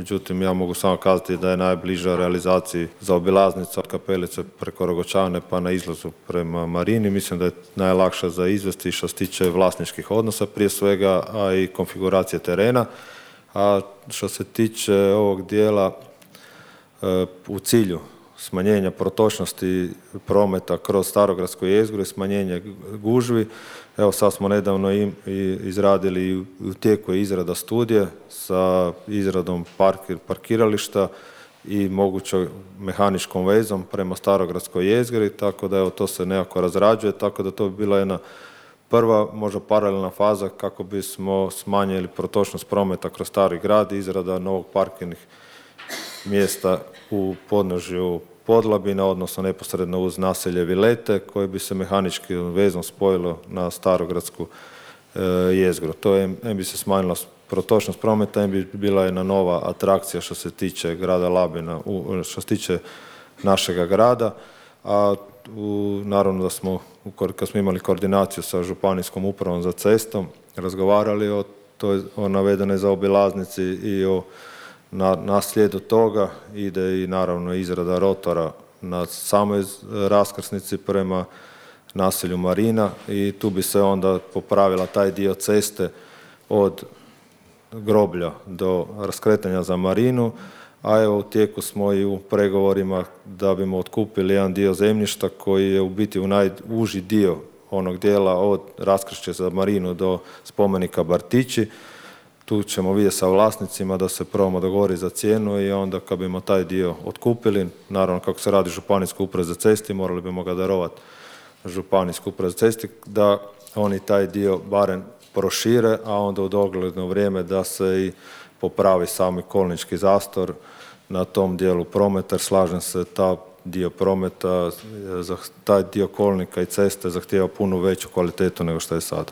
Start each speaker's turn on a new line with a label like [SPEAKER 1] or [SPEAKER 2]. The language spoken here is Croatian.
[SPEAKER 1] međutim ja mogu samo kazati da je najbliža realizaciji zaobilaznica od Kapelice preko Rogočane pa na izlazu prema Marini. Mislim da je najlakša za izvesti što se tiče vlasničkih odnosa prije svega, a i konfiguracije terena. A što se tiče ovog dijela u cilju smanjenja protočnosti prometa kroz starogradsku jezgru i smanjenje gužvi, evo sad smo nedavno izradili i u tijeku je izrada studije sa izradom parkirališta i mogućom mehaničkom vezom prema starogradskoj jezgri, tako da evo to se nekako razrađuje, tako da to bi bila jedna prva, možda paralelna faza kako bismo smanjili protočnost prometa kroz stari grad, izrada novog parkirnih mjesta u podnožju Podlabina, odnosno neposredno uz naselje Vilete, koje bi se mehaničkim vezom spojilo na starogradsku jezgru. To je, bi se smanjila protočnost prometa, bi bila jedna nova atrakcija što se tiče grada Labina, što se tiče našega grada, a naravno da smo, kad smo imali koordinaciju sa Županijskom upravom za cestom, razgovarali o navedenoj zaobilaznici i na slijedu toga ide i naravno izrada rotora na samoj raskrsnici prema naselju Marina i tu bi se onda popravila taj dio ceste od groblja do raskretanja za Marinu, a evo u tijeku smo i u pregovorima da bimo otkupili jedan dio zemljišta koji je u biti u najuži dio onog dijela od raskršća za Marinu do spomenika Bartići. Tu ćemo vidjeti sa vlasnicima da se probamo dogovoriti za cijenu i onda kad bimo taj dio otkupili, naravno kako se radi Županijska uprava za cesti, morali bimo ga darovati Županijsku upravu za cesti, da oni taj dio barem prošire, a onda u dogledno vrijeme da se i popravi sami kolnički zastor na tom dijelu prometa, jer slažem se, taj dio kolnika i ceste zahtijeva puno veću kvalitetu nego što je sad.